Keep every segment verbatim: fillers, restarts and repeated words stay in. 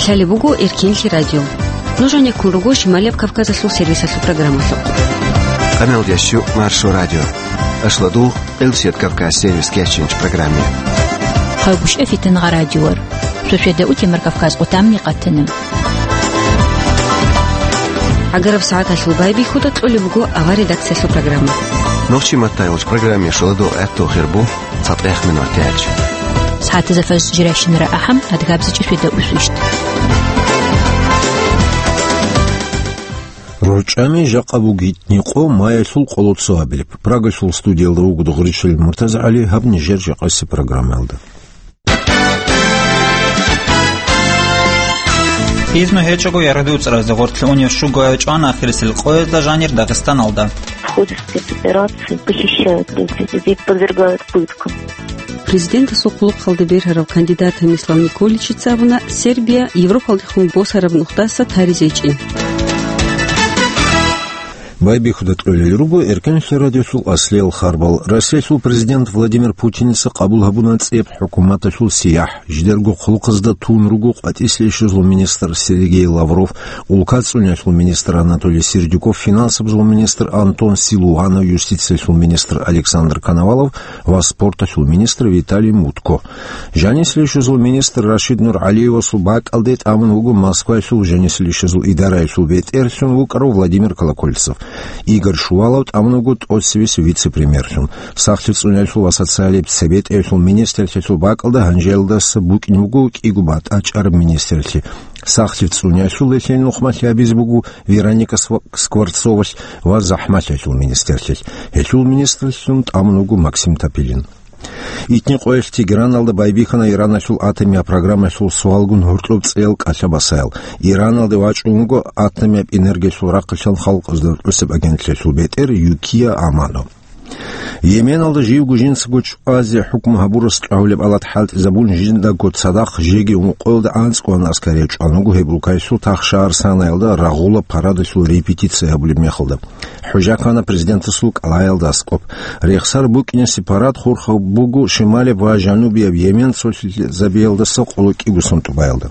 Лъалеб буго Эркенлъи радио. Нуж гьанеккун руго Шималияб Кавказалъул сервисалъул программалъухъ. Къамел ящу Маршо радио. Ашладу Элсет Кавказ сервис кечинч программе. Хъайгъушев Фитангъа радиор. Сосиеда утемар Кавказ къутамни къатана. Агараб сагӀаталъул байбихьуда кьолеб буго авар редакциялъул программа. Нохчи маттайолч программе шоладо гӀатту хирбу. ЦатӀех минутач. СагӀатазда фаз жирайщинара ахӀам, адгабзичӀи феда усвищ. РорчӀами жакъа бугитни къо маялъул къоло цо абилеб. Прагалъул студиялда вуго Дугъричил МуртазагӀали, гьаб нижер жакъаси программаялда. Изну гьечӀого яргъди уцӀразе гъортлъи унев щугояв чӀвана ахирисел къоязда жанир Дагъистаналда. В ходе спецоперации похищают людей, людей подвергают пыткам. Президентасул хъулухъалда бергьарав кандидат Томислав Николичица абуна, Сербия Европалдехун босараб нухдаса таризечӀин. Байбихьуда кьолел руго Эркенлъи радиосул аслиял харбал. Россиялъул президент Владимир Путиница къабул гьабуна цӀеб хӀукуматалъул сияхӀ. Жидерго хъулухъазда тун руго къватӀислъи щвезул министр Сергей Лавров, улка цӀуниялъул министр Анатолий Сердюков, финансабазул министр Антон Силуанов, юстициялъул министр Александр Коновалов ва спорталъул министр Виталий Мутко. Жанислъи щвезул министр Рашид Нургьалиевасул бакӀалде тӀамун вуго Москваялъул жанислъи щвезул идараялъул бетӀерлъун вукӀарав Владимир Колокольцев. Игорь Шувалов тӀамун вуго тӀоцевес вице-премьерлъун. Сахлъи цӀуниялъул ва социалияб цебетӀеялъул министрлъиялъул бакӀалда гьанжеялдаса букӀин буго кӀиго батӀа чӀараб министрлъи. Сахлъи цӀуниялъул гьелъие нухмалъи гьабизе буго Вероника Сва-, Скворцовалъ ва захӀмалъиялъул министрлъилъ. Гьелъул министрлъун тӀамун вуго Максим Топилин. Итни къоялъ Тегераналда байбихьана Ираналъул атомияб программаялъул суалгун гьоркьоб цӀеял кӀалъа-басаял. Ираналде вачӀун вуго атомияб энергиялъул рахъалъан халкъазда рокьосеб агентлъиялъул бетӀер Юкия Амано. Йеменалда живго жинцаго чӀвазе хӀукму гьабурас чӀвагьулеб алат хӀалтӀизабун, жиндаго цадахъ жеги ункъоялда анцӀго аскари чӀван вуго гьеб улкаялъул тахшаар Санаялда рагъула парадалъул репетиция гьабулеб мехалда. ХӀужа ккана президентасул кӀалаялда аскӀоб. Рехсар букӀине сепарат хурхаб буго шималияб ва жанубияб Йемен цолъизабиялдаса къоло кӀиго сун тӀубаялда.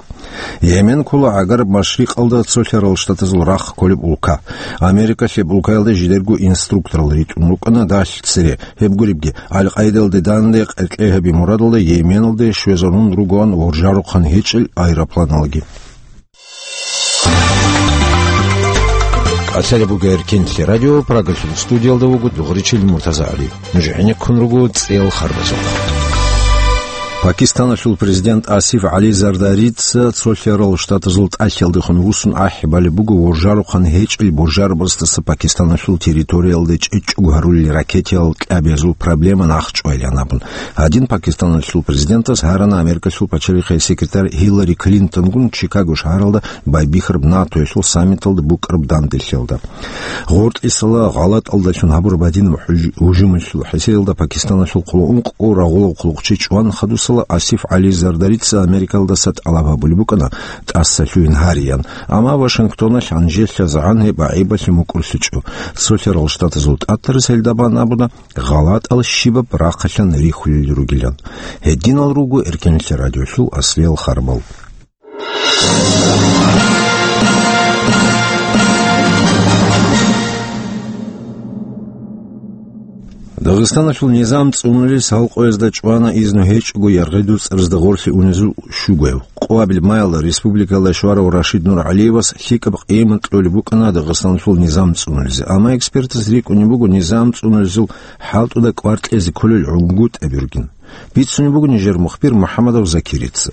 Йемен ккола гӀагараб машрикъалда цолъарал штатазул рахъ кколеб улка. Америкалъ гьеб улкаялда жидерго инструкторал ритӀун рукӀана далъ цере. Гьеб гуребги, Аль-Къаидалде данде къеркьей гьаби мурадалда Йеменалде щвезарун ругоан воржарухъан гьечӀел аэропланалги. Асари бугер Кинлъи радио, Прагалъул студиялда вуго Дугъричил Муртазагьари. Нуж гӀенеккун руго цӀел харбазухъ. Пакистаналъул президент Асиф ГӀали Зардарица цолъарал штатазул тӀалъалдехун вуссун ахӀи балеб буго воржарухъан гьечӀел боржарабаздаса Пакистаналъул территориялде чӀечӀого гьарулел ракетиял кӀабиязул проблема нахъчӀвайилан абун. Гьадин Пакистаналъул президентас гьарана Америкалъул пачалихъе секретарь Гьиллари Клинтонгун Чикаго шагьаралда байбихьараб натоялъул саммиталда букӀараб данделъиялда. ГъортӀисала гъалатӀалдалъун гьабураб гьадинаб гьуж-, гьужумалъул хӀисиялда Пакистаналъул хъулу ункъго рагъулав хъулухъчи чӀван хадусала Асиф ГӀали Зардарица Америкалдаса тӀалаб гьабулеб букӀана тӀаса лъугьин гьариян, амма Вашингтоналъ гьанжелъазегӀан гьеб гӀайибалъе мукӀурлъичӀо. Цолъарал штатазул тӀатарас гьелда бан абуна, гъалатӀал щибаб рахъалъан рихьулел ругилан. Гьединал руго Эркенлъи радиолъул аслиял харбал. Дагъистаналъул низам цӀунулел салкъоязда чӀвана изну гьечӀого яргъи дуцӀаразда гъорлъе унезул щугояв. Къоабил маялда республикалда щварав Рашид Нургьалиевас лъикӀаб къимат кьолеб букӀана Дагъистаналъул низам цӀунулезе. Амма экспертаз рикӀкӀунеб буго низам цӀунулезул хӀалтӀуда кӀвар кьезе кколел гӀунгутӀаби ругин. Бицунеб буго нижер мухбир МухӀаммадов Закирица.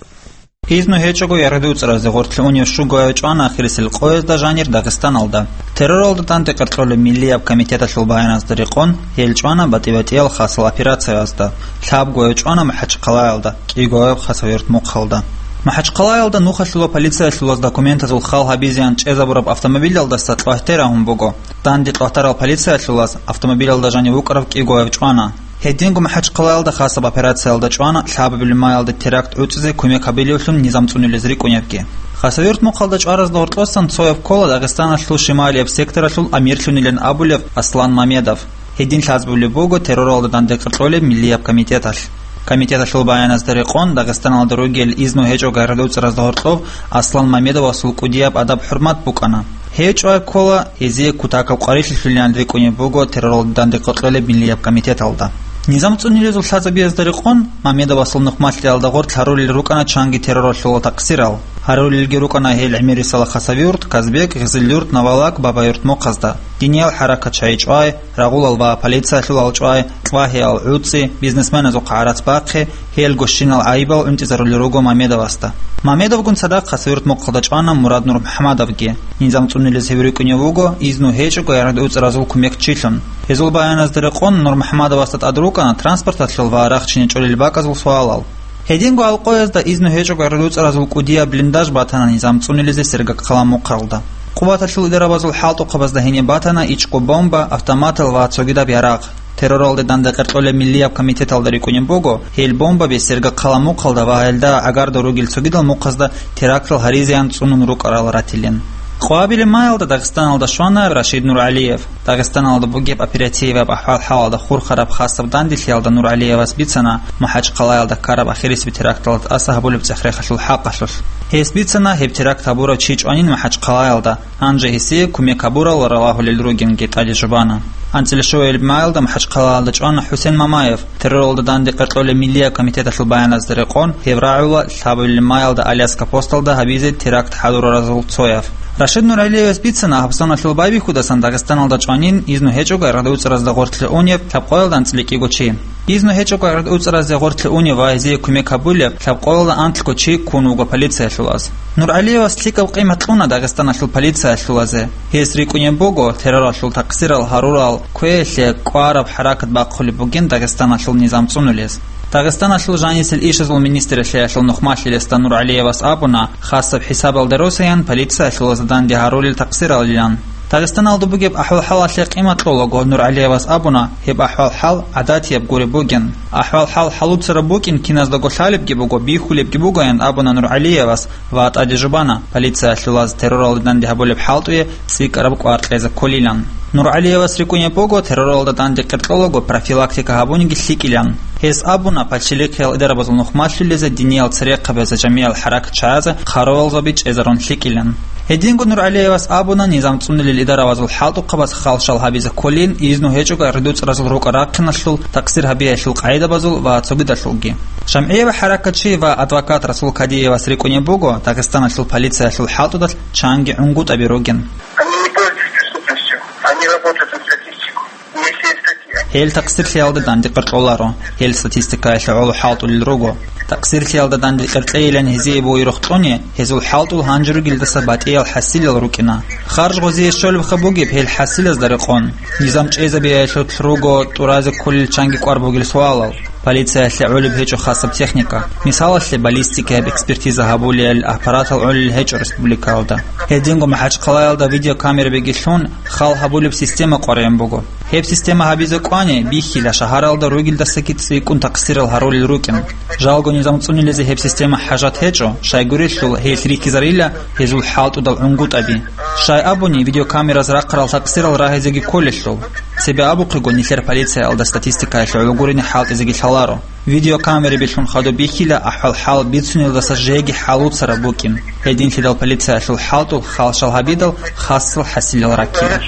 Изну гьечӀого яргъи дуцӀаразде гъорлъе унев щугояв чӀвана ахирисел къоязда жанир Дагъистаналда. Терроралда данде-къеркьолеб миллияб комитеталъул баяназда рекъон, гьел чӀвана батӀи-батӀиял хасал операциязда. Лъабгояв чӀвана МахӀачхъалаялда, кӀигояв Хасавюрт-Мухъалда. МахӀачхъалаялда нухалъула полициялъулаз документазул хал гьабизеян чӀезабураб автомобилялдаса кьвагьте рагьун буго. Данде кьвагьтарал полициялъулаз автомобилялда жанив вукӀарав кӀигояв чӀвана. Гьединго МахӀачхъалаялда хасаб операциялда чӀвана лъабабилеб маялда теракт гӀуцӀизе кумек гьабилевлъун низам цӀунулез рикӀкӀунебги. Хасавюрт-Мухъалда чӀваразда гьоркьосан цояв ккола Дагъистаналъул шималияб секторалъул амирлъунилан абулев Аслан Мамедов. Гьедин лъазабулеб буго терроралда данде-къеркьолеб миллияб комитеталъ. Комитеталъул баяназда рекъон, Дагъистаналда ругел изну гьечӀого гӀарада уцӀаразда гьоркьоб Аслан Мамедовасул кӀудияб адаб-хӀурмат букӀана. Гьев чӀвай ккола гьезие кутакаб къварилъи лъулилан рикӀкӀунеб буго терроралда данде къокълъолеб миллияб комитеталда. Низам цӀунилезул лъазабиязда рекъон, Мамедовасул нухмалъиялда гъоркь гьарулел рукӀана чанги терроралъула такъсирал. Гьарулелги рукӀана гьел ГӀемерисала Хасавюрт, Казбек, Гъизилюрт, Навалак, Бабаюрт мухъазда. Диниял хӀаракат чайчӀвай, рагъулал ва полициялъул алчӀвай, кьвагьиял гӀуцӀи, бизнесменазухъа гӀарац бахъи, гьел гощинал гӀайибал гӀунтӀизарулел руго Мамедовасда. Мамедовгун цадахъ Хасавюрт мухъалда чӀвана Мурад Нурмухьамадовги. Низам цӀунилез гьев рикӀкӀунев вуго изну гьечӀого гӀарада уцӀаразул кумекчилъун. Гьезул баяназда рекъон, Нурмухьамадовасда тӀад рукӀана транспорталъул ва рахчине чӀолел бакӀазул суалал. Гьединго алкъоязда изну гьечӀого гӀарада уцӀаразул кӀудияб блиндаж батана низам цӀунилезе Сергокъала мухъалда. Къуваталъул идарабазул хӀалтӀухъабазда гьениб батана ичӀго бомба, автоматал ва цогидаб ярагъ. Терроралде данде къеркьолеб миллияб комитеталда рикӀкӀунеб буго, гьел бомбаби Сергокъала мухъалда ва гьелда гӀагарда ругел цогидал мухъазда терактал гьаризеян цӀунун рукӀарал ратилин. Къвабилеб маялда Дагъистаналда щвана Рашид Нургьалиев. Дагъистаналда бугеб оперативаб ахӀвал-хӀалалда хурхараб хасаб данделъиялда Нургьалиевас бицана МахӀачхъалаялда ккараб ахирисеб теракталда тӀаса гьабулеб цӀех-рехалъул хӀакъалъулъ. Гьес бицана гьеб теракт гьабурав чи чӀванин МахӀачхъалаялда, гьанже гьесие кумек гьабурал ралагьулел ругинги тӀаде жубана. АнцӀила щуабилеб маялда МахӀачхъалаялда чӀвана ХӀусен Мамаев, терроралда данде къеркьолеб миллияб комитеталъул баяназда рекъон, гьев рагӀула лъабабилеб маялда Аляска посталда гьабизе теракт хӀадураразул цояв. Рашид Нургьалиевас бицана гьабсаналъул байбихьудасан Дагъистаналда чӀванин изну гьечӀого гӀарада уцӀаразда гъоркьлъи унеб лъабкъоялда анцӀила кӀиго чи. Изну гьечӀого гӀарада уцӀаразе гъоркьлъи унев ва гьезие кумек гьабулеб лъабкъоялда анлъго чи ккун вуго полициялъул аз. Нургьалиевас лъикӀаб къимат кьуна Дагъистаналъул полициялъул азе. Гьес рикӀкӀунеб буго терроралъул такъсирал гьарурал квеялъе кӀвараб хӀаракат бахъулеб бугин Дагъистаналъул низам цӀунулез. Дагъистаналъул жанисел ишазул министралъиялъул нухмалъилесда Нургьалиевас абуна, хасаб хӀисабалда росаян полициялъул азда данде гьарулел такъсиралилан. Дагъистаналда бугеб ахӀвал-хӀалалъе къимат кьолаго Нургьалиевас абуна, гьеб ахӀвал-хӀал гӀадатияб гуреб бугин. АхӀвал-хӀал хӀалуцараб букӀин киназдаго лъалебги буго, бихьулебги бугоян абуна Нургьалиевас ва тӀаде жубана, полициялъул аз терроралда данде гьабулеб хӀалтӀуе цӀикӀкӀараб кӀвар кьезе кколилан. Нургьалиевас рикӀкӀунеб буго терроралда данде къеркьолаго профилактика гьабуниги лъикӀилан. Гьес абуна, пачалихъиял идарабазул нухмалъулезе, диниял церехъабазе, жамигӀал хӀаракатчагӀазе хъаравалзаби чӀезарун лъикӀилан. Гьединго Нургьалиевас абуна низам цӀунулел идарабазул хӀалтӀухъабаз халшал гьабизе кколин, изну гьечӀого гӀарада уцӀаразул рукӀа-рахъиналъул, такъсир гьабиялъул къагӀидабазул ва цогидалъулги. ЖамгӀияб хӀаракатчи ва адвокат Расул Кадиевас рикӀкӀунеб буго Дагъистаналъул полициялъул хӀалтӀудалъ чанги гӀунгутӀаби ругин. Они не пользуются преступностью, они работают на статистику. Если есть такие... Гьел такъсирлъиялда данде къеркьоларо, гьел статистикаялъе гӀоло хӀалтӀулел руго. Такъсирлъиялда данде къеркьейилан гьезие бугеб рохтӀони, гьезул хӀалтӀул гьанже ругелдаса батӀиял хӀасилал рукӀина. Харж гъозие щолебха бугеб гьел хӀасилазда рекъон. Низам чӀезабиялъулъ руго тӀуразе кколел чанги кӀвар бугел суалал. Полициялъе гӀолеб гьечӀо хасаб техника. Мисалалъе, баллистикаяб экспертиза гьабулел аппаратал гӀолел гьечӀо республикаялда. Гьединго МахӀачхъалаялда видеокамерабиги лъун, хал гьабулеб система къваригӀун буго. Гьеб система гьабизе кӀвани, бихьила, шагьаралда ругелдасаги цӀикӀкӀун такъсирал гьарулел рукӀин. Жалго низам цӀунилезе гьеб система хӀажат гьечӀо, щайгурелъул гьелъ рихьизарила гьезул хӀалтӀудал гӀунгутӀаби. Щай абуни, видеокамераз рахъарал такъсирал рагьизеги кколелъул. Цебе абухъего, нилъер полициялда статистикаялъе гӀоло гурони хӀалтӀизеги лъаларо. Видеокамераби лъун хадуб бихьила ахӀвал-хӀал бицунелдаса жеги хӀалуцараб букӀин. Гьединлъидал полициялъул хӀалтӀул халшал гьабидал хасал хӀасилал раккила.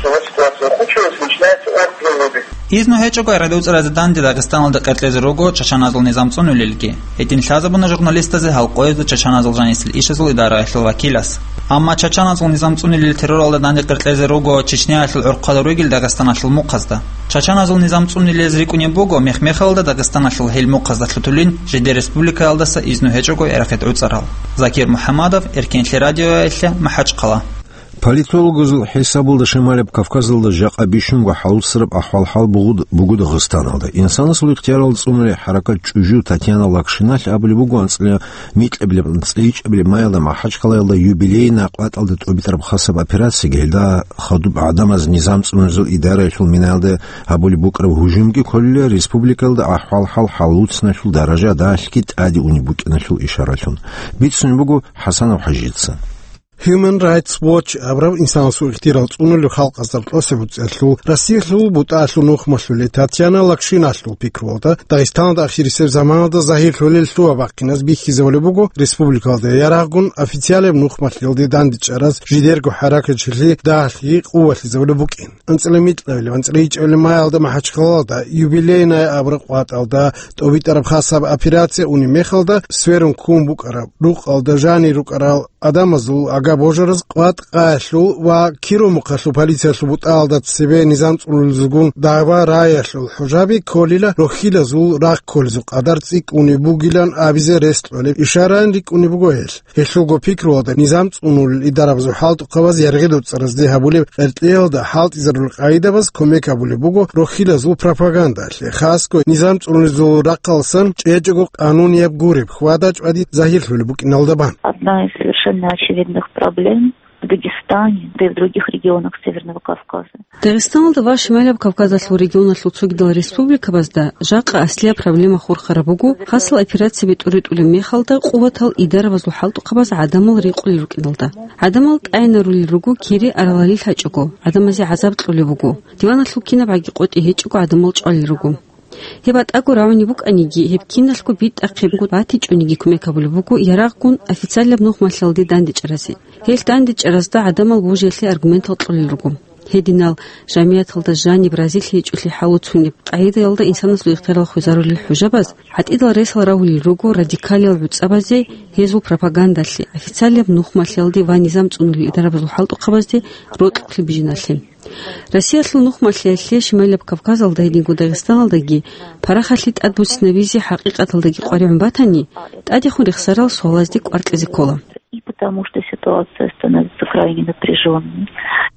Изну гьечӀого гӀарада уцӀаразе данде Дагъистаналда къеркьезе руго чачаназул низам цӀунулелги. Гьедин лъазабуна журналистазе гьалкъоязда чачаназул жанисел ишазул идараялъул вакилас. Амма чачаназул низам цӀунулел терроралда данде къеркьезе руго Чечняялъул гӀурхъада ругел Дагъистаналъул мухъазда. Чачаназул низам цӀунулез рикӀкӀунеб буго мех-мехалда Дагъистаналъул гьел мухъазда лъутулин жидер республикаялдаса изну гьечӀого гӀерахъе гӀуцӀарал. Закир МухӀаммадов, Эркенлъи радиоялъе, МахӀачхъала. Политологазул хӀисабалда Шималаб Кавказалда жакъа бищунго хӀалуцараб ахӀвал-хӀал бугу-, буго Дагъистаналда. Инсанасул ихтияралда цӀунулеб хӀаракат чӀужу Татьяна Лакшиналъ абулеб буго анцӀила микьабилеб, анцӀила ичӀабилеб маялда МахӀачхъалаялда юбилейный къватӀалда тӀобитӀараб хасаб операциялъ гьелда хадуб гӀадамаз низам цӀунулезул идараялъул минаялда гьабулеб букӀараб гьужумги кколила республикалда ахӀвал-хӀал хӀалуцаналъул даража далъги тӀаде унеб букӀиналъул ишаралъун. Бицунеб буго ХӀасанов ХӀажица. Human Rights Watch абураб инсанасул ихтияр цӀунулел халкъазда рокьулеб буцӀиялъул Россиялъул бутӀаялъул нухмалъулей Татьяна Лакшиналъул пикруялда, Дагъистаналда ахирисеб заманалда загьирлъулел лъугьа-бахъиназ бихьизабулеб буго республикалда ярагъгун официалияб нухмалъиялде дандечӀараз жидерго хӀаракатчилъи дагьалъи къувалъизабулеб букӀин. АнцӀила-микьабилеб, анцӀила-ичӀабилеб майалда МахӀачхъалалда «Юбилейная» абураб къватӀалда тӀобитӀараб хасаб операция унеб мехалда, сверун ккун букӀараб рукъалда жанир рукӀарал гӀадамазул агар-божараз къватӀ къаялъул ва Киромухъалъул полициялъул бутӀаялда цебе низам цӀунулезулгун дагӀба раялъул хӀужаби кколила рохьилазул рахъ кколезул къадар цӀикӀкӀунеб бугилан абизе рес кьолеб ишараян рикӀкӀунеб буго гьелъ. Гьелъулго пикруялда низам цӀунулел идарабазул хӀалтӀухъабаз яргъи-доцӀаразде гьабулеб къеркьеялда хӀалтӀизарулел къагӀидабаз кумек гьабулеб буго рохьилазул пропагандалъе, хасго низам цӀунулезул рахъалъан чӀечӀого къанунияб гуреб хьвада-чӀвади загьирлъулеб букӀиналда бан. Одна из совершенно очевидных проблем в Дагестане, да и в других регионах Северного Кавказа. Дагъистаналда ва Шималаб Кавказалъул регионалъул цогидал республикабазда жакъа аслияб проблема хурхараб буго, хасал операцияби тӀуритӀулеб мехалда къуватал идарабазул хӀалтӀухъабаз гӀадамал рекъулел рукӀиналда. ГӀадамал тӀайнарулел руго кири аралалил гьачӀого, гӀадамазе гӀазаб кьолеб буго. Диваналъул кинабгӀаги къотӀи гьечӀого гӀадамал чӀвалел руго. Гьеб батӀаго рагӀунеб букӀаниги, гьеб киналъго битӀахъебго батичӀониги кумек гьабулеб буго ярагъгун официалияб нухмалъиялде дандечӀаразе. Гьелъ дандечӀаразда гӀадамал божиялъе аргументал кьолел руго. Гьединал жамияталда жаниб разилъи гьечӀолъи хӀалуцунеб къагӀидаялда инсанасул ихтиярал хвезарулел хӀужабаз, гӀатӀидал ресал рагьулел руго радикалиял гӀуцӀабазе, гьезул пропагандалъе, официалияб нухмалъиялде ва низам цӀунулел идарабазул хӀалтӀухъабазде рокьулъ бижиналъе. Россиялъул нухмалъиялъе Шималаб Кавказалда гьединго Дагъистаналдаги парахалъи тӀадбуцинабизе хӀакъикъаталдаги къваригӀун батани, тӀадехун рехсарал суалазде кӀвар кьезе ккола. И потому что ситуация становится крайне напряжённой.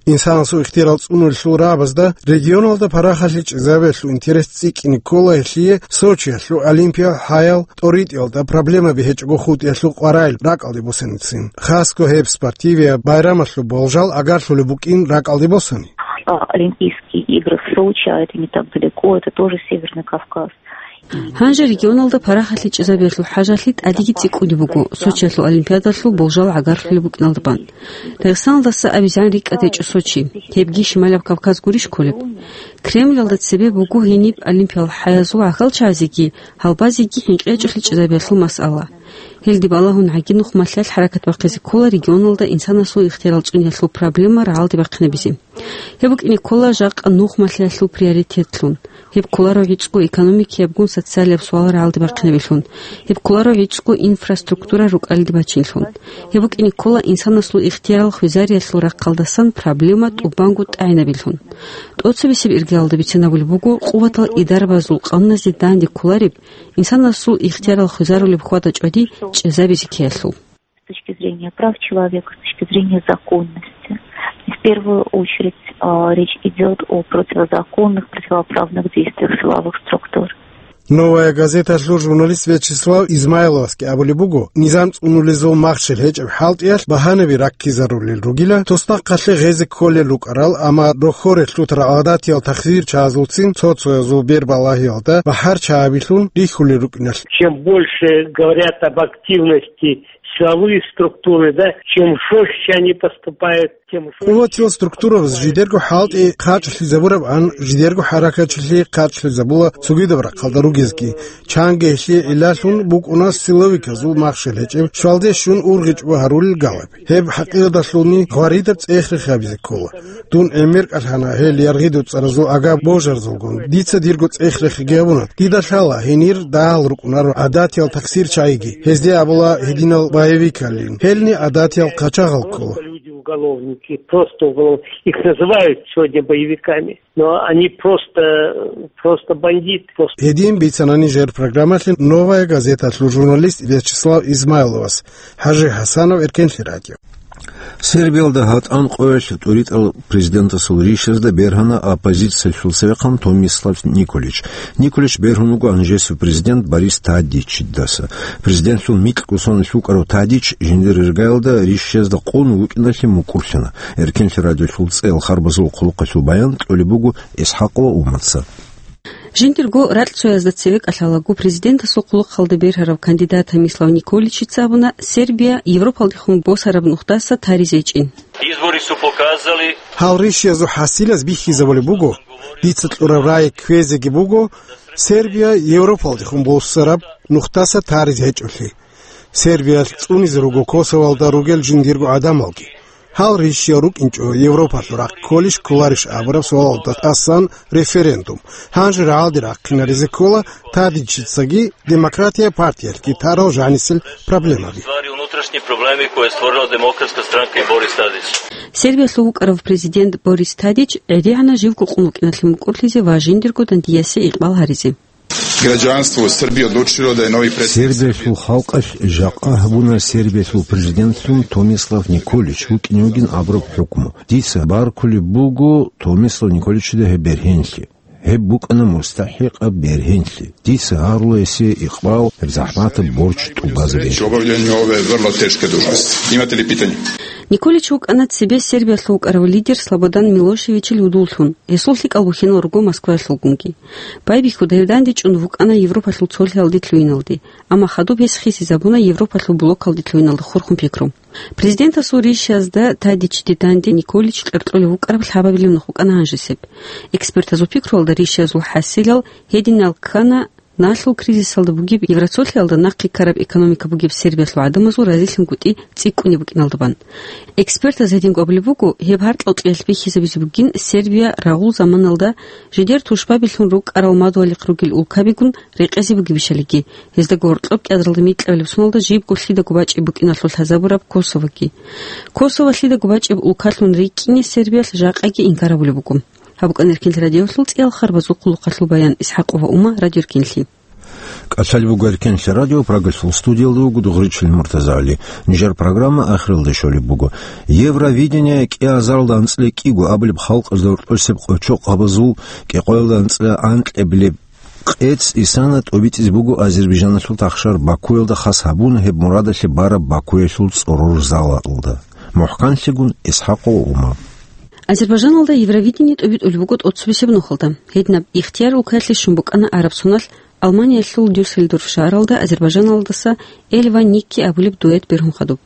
Инсанасул ихтиярал цӀунулел рагӀабазда регионалда парахалъи чӀезабиялъул интерес цӀикӀкӀине ккола гьелъие Сочиялъул олимпиял хӀаял тӀоритӀиялда проблемаби гьечӀого хутӀиялъул къваригӀел ракӀалде босаницин. Хасго гьеб спортивияб байрамалъул болжал агарлъулеб букӀин ракӀалде босани. А, Олимпийские игры в Сочи, а это не так далеко, это тоже Северный Кавказ. Гьанже регионалда парахалъи чӀезабиялъул хӀажалъи тӀадеги цӀикӀкӀунеб буго Сочиялъул олимпиадалъул болжал агарлъулеб букӀиналда бан. Дагъистаналдаса абизегӀан рикӀкӀад гьечӀо Сочи, гьебги Шималаб Кавказ гурищ кколеб? Кремлалда цебе буго гьениб олимпиял хӀаязул гӀахьалчагӀазеги гьалбазеги хӀинкъи гьечӀолъи чӀезабиялъул масъала. Гьелде балагьун гӀаги нухмалъиялъ хӀаракат бахъизе ккола регионалда инсанасул ихтиярал цӀуниялъул проблема рагӀалде бахъинабизе. Гьеб букӀине ккола жакъа нухмалъиялъул приоритетлъун. Гьеб кколаро гӀицӀго экономикиябгун социалияб суал рагӀалде бахъинабилъун. Гьеб кколаро гӀицӀго инфраструктура рукӀалде бачинлъун. Гьеб букӀине ккола инсанасул ихтиярал хвезариялъул рахъалдасан проблема тӀубанго тӀагӀинабилъун. ТӀоцебесеб иргаялда бицинабулеб буго, къуватал идарабазул къануназде данде кколареб, инсанасул ихтиярал хвезарулеб хьвада-чӀвади чӀезабизе ккеялъул. С точки зрения прав человека, с точки зрения законности. И в первую очередь, а, речь идёт о противозаконных, противоправных действиях силовых структур. «Новая газеталъул» журналист Вячеслав Измайловасги абулеб буго, низам цӀунулезул махщел гьечӀеб хӀалтӀиялъ багьанаби раккизарулел ругила, туснахъалъе гъезе кколел рукӀарал, амма рохьоре лъутарал гӀадатиял тахсирчагӀазулцин цо-цоязул бербалагьиялда бахӀарчагӀабилъун рихьулел рукӀиналъ. Чем больше говорят об активности силовые структуры, да, чем жёстче они поступают, тем жёстче. Къуватил структурабаз жидерго хӀалтӀи хъачӀлъизабурабан, жидерго хӀаракатчилъи хъачӀлъизабула цогидаб рахъалда ругезги. Чанги гьелъие гӀиллалъун букӀуна силовиказул махщел гьечӀеб щвалде щун ургъичӀого гьарулел галаби. Гьеб хӀакъикъаталъулни гъваридаб цӀех-рех гьабизе ккола. Дун гӀемер кӀалъана гьел яргъи-доцӀаразул агар-божарзулгун. Дица дирго цӀех-рехги гьабуна. Дида лъала, гьенир дагьал рукӀунаро гӀадатиял тахсирчагӀиги. Гьезде абула гьединал боевикалин. Гьелни гӀадатиял хъачагъал ккола. Люди уголовники, просто уголов-, их называют сегодня боевиками, но они просто, просто бандиты, просто. Гьедин бицана нижер программалъе «Новая газеталъул» журналист Вячеслав Измайловас. ХӀажи ХӀасанов, Эркенлъи радио. Сербиялда гьатӀан къоялъ тӀуритӀарал президентасул ришазда бергьана оппозициялъул цевехъан Томислав Николич. Николич бергьун вуго гьанжесев президент Борис Тадичидаса. Президентлъул микьго соналъ вукӀарав Тадич жиндир иргаялда ришазда къун вукӀиналъе мукӀурлъана. Эркенлъи радиолъул цӀеял харбазул хъулухъалъул баян кьолеб буго ИсхӀакъова Уматца. Жиндирго ракьцоязда цеве кӀалъалаго президентасул хъулухъалда бергьарав кандидат Томислав Николичица абуна, Сербия Европалдехун босараб нухдаса таризе гьечӀин. Izbori su pokazali. Гьал ришиязул хӀасилаз бихьизабулеб буго, дица кьураб рай кквезеги буго, Сербия Европалдехун босараб нухдаса таризе гьечӀолъи. Сербиялъ цӀунизе руго Косовалда ругел жиндирго гӀадамалги. Гьал ришиял рукӀинчӀо Европалъул рахъ кколищ кколарищ абураб суалалда тӀасан референдум. Гьанже рагӀалде рахъинаризе ккола Тадичицаги Демократия партиялъги тарал жанисел проблемаби. Stvari, unutrašnji problemi koje je stvorila Demokratska stranka i Boris Tadić. Сербиялъул вукӀарав президент Борис Тадич гӀедегӀана живго къун вукӀиналъе мукӀурлъизе ва жиндирго дандиясе икъбал гьаризе. Građanstvo u Srbiji odlučilo da je novi predsjednik Сербиялъул халкъалъ жакъа гьабуна Сербиялъул президентлъун Томислав Николич вукӀине вугин абураб хӀукму. Дица баркулеб буго Томислав Николичида гьеб бергьенлъи. Гьеб букӀана мустахӀикъаб бергьенлъи. Дица гьарула гьесие икъбал гьеб захӀматаб борч тӀубазабизе. Obavljanju ove vrlo teške dužnosti. Imate li pitanje? Николич вукӀана цебе Сербиялъул вукӀарав лидер Слободан Милошевичил гьудуллъун, гьесул лъикӀал бухьинал руго Москваялъулгунги. Байбихьуда гьев дандечӀун вукӀана Европалъул цолъиялде лъугьиналде, амма хадуб гьес хисизабуна Европалъул блокалде лъугьиналда хурхун пикру. Президентасул ришиязда Тадичиде данде Николич кьеркьулев вукӀараб лъабабилеб нух букӀана гьанжесеб. Экспертазул пикруялда ришиязул хӀасилал гьединал ккана, налъул кризисалда бугеб, Евроцолъиялда нахъе ккараб экономика бугеб Сербиялъул гӀадамазул разилъунгутӀи цӀикӀкӀунеб букӀиналда бан. Экспертаз гьединго абулеб буго, гьеб гьаркьал кьеялъ бихьизабизе бугин Сербия рагъул заманалда жидер тушбабилъун рукӀарал мадугьалихъ ругел улкабигун рекъезе бугебищалиги, гьездаго гьоркьоб кӀиазаралда микьабилеб соналда жибго лъидаго бачӀеб букӀиналъул лъазабураб Косовоги. Косово лъидаго бачӀеб улкалъун рикӀкӀине Сербиялъ жакъаги инкар гьабулеб буго. Гьаб букӀана Эркенлъи радиоялъул цӀиял харбазул хъулухъалъул баян. ИсхӀакъова Ума, Радио Эркенлъи. КӀалъалеб буго Эркенлъи радио, Прагалъул студиялда вуго Дугъричил МуртазагӀали. Нижер программа ахиралде щолеб буго. Евровидение кӀиазаралда анцӀила кӀиго абулеб халкъазда гьоркьосеб къочохъабазул кӀикъоялда анцӀила анкьабилеб къец исана тӀобитӀизе буго Азербайджаналъул тахшар Бакуялда хас гьабун, гьеб мурадалъе бараб Бакуялъул цӀорор залалда. МухӀканлъигун ИсхӀакъова Ума. Азербайджаналда Евровидение тӀобитӀулеб буго тӀоцебесеб нухалда. Гьединаб ихтияр улкаялъе щун букӀана араб соналъ Алманиялъул Дюссельдорф шагьаралда Азербайджаналдаса Эльва Никки абулеб дуэт бергьун хадуб.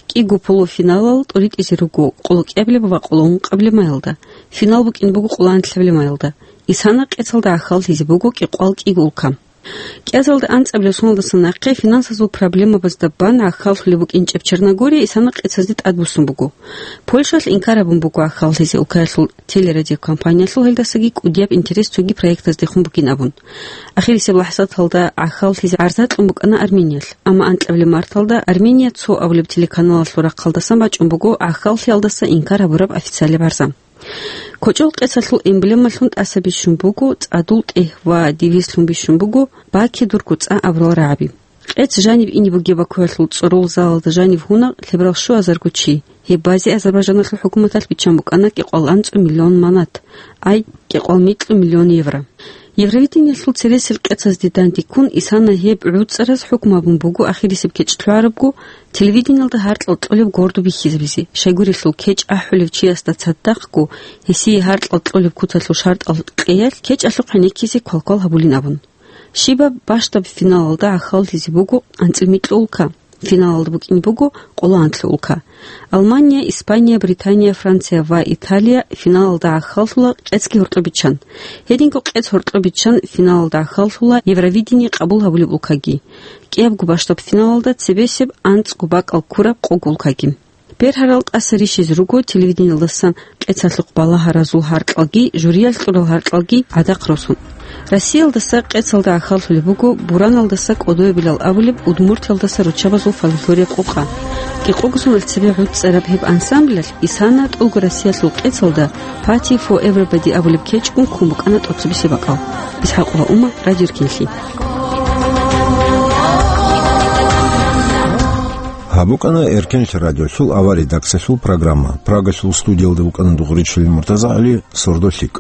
КӀиго полуфиналал тӀоритӀизе руго къолокӀиабилеб ва къолоункъабилеб майалда. Финал букӀине буго къолоанлъабилеб майалда. Исана къецалда гӀахьаллъизе буго кӀикъоялда кӀиго улка. КӀиазаралда анцӀабилеб соналдаса нахъе финансазул проблемабазда бан гӀахьаллъулеб букӀинчӀеб Черногория исана къецазде тӀадбуссун буго. Польшалъ инкар гьабун буго гӀахьаллъизе улкаялъул телерадиокомпаниялъул гьелдасаги кӀудияб интерес цоги проектаздехун бугин абун. Ахирисеб лахӀзаталда гӀахьаллъизе гӀарза кьун букӀана Армениялъ, амма анкьабилеб марталда Армения цо абулеб телеканалалъул рахъалдасан бачӀун буго гӀахьаллъиялдаса инкар гьабураб официалияб гӀарза. КочӀол къецалъул эмблемалъун тӀаса бищун буго цӀадул тӀегь ва девизлъун бищун буго «Баке дурго цӀа» абурал рагӀаби. Къец жаниб ине бугеб Бакуялъул цӀорол залалда жанив гьуна лъеберал щуазарго чи. Гьеб базе Азербайджаналъул хӀукуматалъ биччан букӀана кӀикъоялда анцӀу миллион манат, ай, кӀикъоялда микьу миллион евро. Евровидениялъул цересел къецазде дандеккун исана гьеб гӀуцӀараз хӀукму гьабун буго ахирисеб кечӀ лъугӀарабго, телевидениялда гьаркьал кьолеб гордо бихьизабизе, щайгурелъул кечӀ ахӀулев чиясда цадахъго гьесие гьаркьал кьолеб куцалъул шартӀал къеялъ кечӀалъухъ гӀенеккизе квалквал гьабулин абун. Щибаб бащдаб финалалда гӀахьаллъизе буго анцӀил микьу улка. Финалалда букӀине буго къоло анлъу улка. Алмания, Испания, Британия, Франция ва Италия финалалда гӀахьаллъула къецги гьоркьоб биччан. Гьединго къец гьоркьоб биччан финалалда гӀахьаллъула Евровидение къабул гьабулеб улкаги. КӀиябго бащдаб финалалда цебесеб анцӀго бакӀал ккураб къого улкаги. Бергьарал тӀаса рищизе руго телевидениялдасан къецалъухъ балагьаразул гьаркьалги, жюриялъ кьурал гьаркьалги гӀадахъ росун. Россиялдаса къецалда гӀахьаллъулеб буго Бураналдаса кӀодоябилал абулеб Удмуртиялдаса руччабазул фольклорияб къокъа. КӀикъого соналъ цебе гӀуцӀараб гьеб ансамблалъ исана тӀолго Россиялъул къецалда «Party for Everybody» абулеб кечӀ ккун букӀана тӀоцебесеб бакӀал. ИсхӀакъова Ума, Радио Эркенлъи. Гьаб букӀана Эркенлъи радиолъул авария редакциялъул программа. Прагалъул студиялда вукӀана Дугъричилин МуртазагӀали, сордо лъикӀ.